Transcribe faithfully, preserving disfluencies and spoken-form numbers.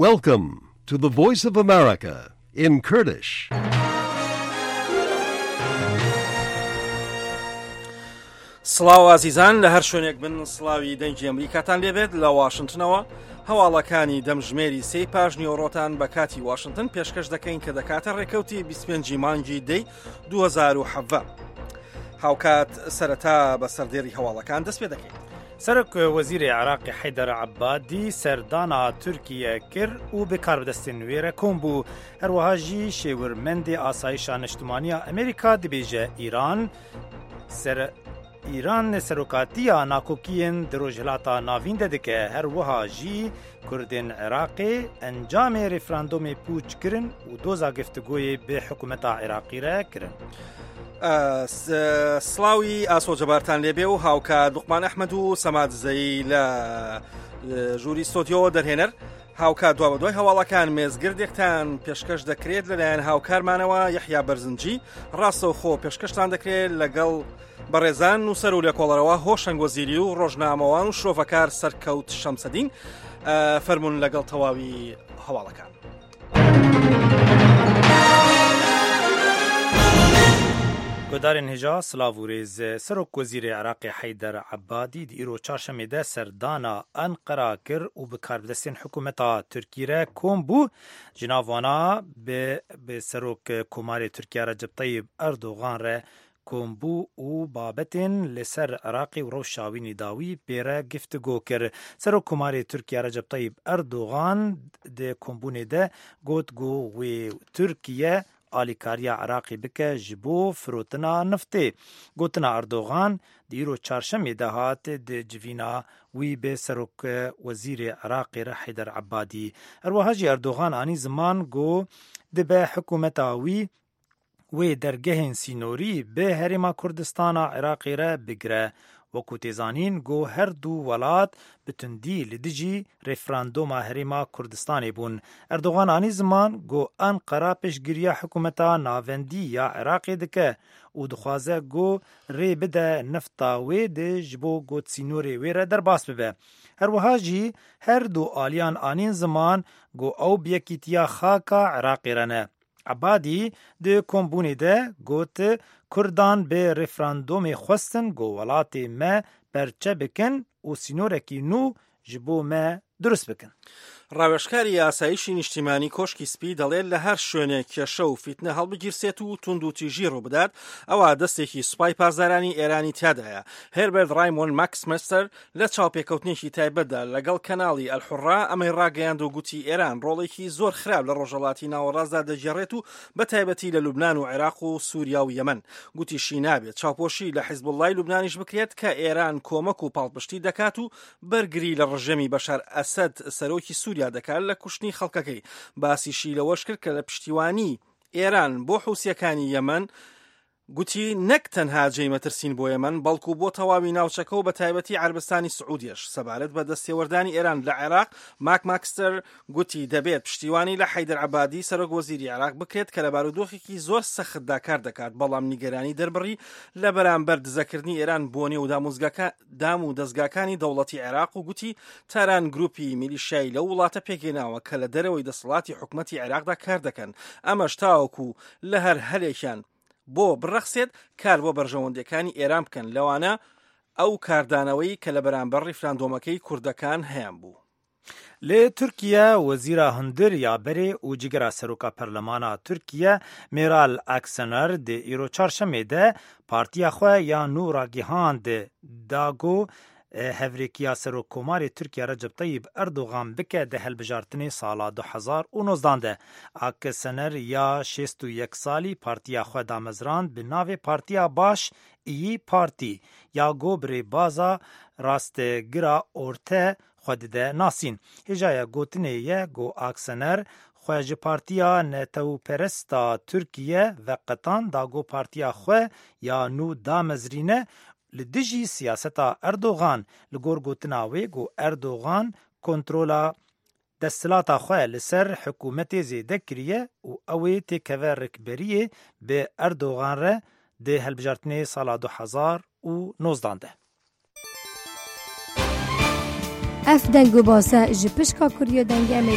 Welcome to the Voice of America in Kurdish. سڵاو ئازیزان لە هەر شوێنێک بن سڵاوی دەنگی ئەمریکاتان لێبێت لە واشنگتنەوە هەواڵەکانی دەمژمێری سێی پاش نیوەڕۆتان بە کاتی واشنگتن پێشکەش دەکەین کە دەکاتە ڕێکەوتی بیست و پێنج مانگی دەی دوو هەزار و حەڤدە. هاوکات سەرەتا بە سەردێری هەواڵەکان دەست پێ دەکەین. سەرۆک وەزیری عێراقی حەیدەر عەبادی سەردانا تورکیە کرد و بە کاربەدەستên wê re kom bû. Herwiha jî şêwirmendê asayîşa niştimaniya Amerîka dibêje Îran ser Îran serokatiya nakokiyên di rojhilata navîn de dike. Herwiha jî Kurdên Iraqê encamê referandomê pûç kirin û doza giftigoyê bi hikûmeta Iraqî re kirin. سڵاوی ئاسۆ جەبارتان لێبێ و هاوکات لوقمان ئەحمەد و سەماد زەی لە ژووری ستۆدیۆوە دەرهێنەر. هاوکات دوا بەدوای هەواڵەکان مێزگردێکتان پێشکەش دەکرێت لەلایەن هاوکارمانەوە یەحیا بەرزنجی، ڕاستەوخۆ پێشکەشتان دەکرێت لەگەڵ بەڕێزان نووسەر و لێکۆڵەرەوە هۆشەنگ وەزیری و ڕۆژنامەوان و شرۆڤەکار سەرکەوت شەمسەدین. فەرمونون لەگەڵ تەواوی هەواڵەکان. گۆدارên hêja silav û rêz Serok Wezîrê Iraqê Heyder Ebadî di îro çarşemê de serdana Enqera kir û bi karbidestên hikûmeta Tirkî re kom bû. Ji nav wana bi bi Serok Komarê Tirkiye Recep Tayyip Erdogan re kom bû û babetên li ser Iraqê û rewşa wî dawî pê re giftigo kir. Serok Komarê Tirkiye Recep Tayyip Erdogan di kombûnê de got ku wê Tirkiye alîkariya Iraqê bike ji bo firotina niftê. Gotina Erdogan di îro çarşemê de hat di civîna wî bi Serok Wezîrê Iraqê re Heyder Ebadî. Herwiha jî Erdogan anî ziman ku dibe hikûmeta wî wê dergehên sînorî bi Herêma Kurdistana Iraqê re bigire. Wekû tê zanîn ku her du welat bi tundî li dijî referandoma Herêma Kurdistanê bûn. Erdogan anî ziman ku Enqera pêşgiriya hikûmeta navendî ya Iraqê dike û dixwaze ku rê bide nifta wê di ji bo got sînorê wê re derbas bibe. Herwiha jî her du aliyan anîn ziman ku ew bi yekîtiya xaka Iraqê re ne. Ebadî di kombûnê de got Kurdan bi referandomê xwestin ku welatê me perçe bikin û sînorekî nû ji bo me durist bikin. ڕاوێژکاری ئاسایشی نیشتیمانی کۆشکی سپی دەڵێت لە هەر شوێنێک کێشە و فیتنە هەڵبگیرسێت و توندوتیژی ڕووبدات ئەوە دەستێکی سوپای پاسدارانی ئێرانی تیادایە. هێربەرت ڕایمۆن ماکسمەستەر لە چاوپێکەوتنێکی تایبەتدا لەگەڵ کەناڵی ئەلحوڕا ئەمەی ڕاگەیاند و گوتی ئێران ڕۆڵێکی زۆر خراپ لە ڕۆژهەڵاتی ناوەڕاستدا دەگێڕێت و بە تایبەتی لە لوبناان و عێراق و سووریا و یەمەن. گوتیشی نابێت چاوپۆشی لە حیزبوڵڵای لوبنانیش بکرێت کە ئێران کۆمەک و پاڵپشتی دەکات و بەرگری لە ڕژێمی بەشار ئەسەد سەرۆکی سووریا دەکات لە کوشتنی خەڵکەکەی. باسیشی لەوەش کرد کە لە پشتیوانی ئێران بۆ حوسیەکانی یەمەن گوتی نەک تەنها جێی مەترسین بۆ یەمەن بەڵکو بۆ تەواوی ناوچەکە و بە تایبەتی عەربستانی سعودیەش. سەبارەت بە دەستێوەردانی ئێران لە عێراق ماک ماکستەر گوتی دەبێت پشتیوانی لە حەیدەر عەبادی سەرۆک وەزیری عێراق بکرێت کە لە بارودۆخێکی زۆر سەختدا کار دەکات، بەڵام نیگەرانی دەربڕی لە بەرامبەر دزەکردنی ئێران بۆ نێو دام و دەستگاکانی دەوڵەتی عێراق و گوتی تاران گروپی میلیشیایی لەو وڵاتە پێکهێناوە کە لە دەرەوەی دەسەڵاتی حکومەتی عێراقدا کار دەکەن، ئەمەش تاوەکو لە هەر هەلێکیان بۆ بڕەخسێت کار بۆ بەرژەوەندیەکانی ئێران بکەن، لەوانە ئەو کاردانەوەی کە لە بەرامبەر ڕیفراندۆمەکەی کوردەکان هەیان بوو. لە تورکیا وەزیرا hundir ya berê û cigera seroka perlemana Tirkiye Meral Akşener di îro çarşemê de partiya xwe ya nû ragihand da ku hevrêkiya Serokkomarê Tirkiye Recep Tayyip Erdogan bike di hilbijartinê sala du hezar û nozdan de. Akşener ya şêst û yek salî partiya xwe damezrand bi navê Partiya Baş İyi Parti ya ku bi rêbaza rastgira orte xwe dide nasîn. Hêjaya gotinê ye ku Akşener xwe ji Partiya Netewperesta Tirkiye veqetan da ku partiya xwe ya nû damezrîne li dijî siyaseta Erdogan li gor gotina wê ku Erdogan kontrola desthilata xwe li ser hikûmetê zêde kiriye û ew ê têkeve rikberiyê bi Erdogan re di hilbijartinê sala du hezar û nozdan de. Ev deng û base ji pişka Kurya Dengê Amerîka.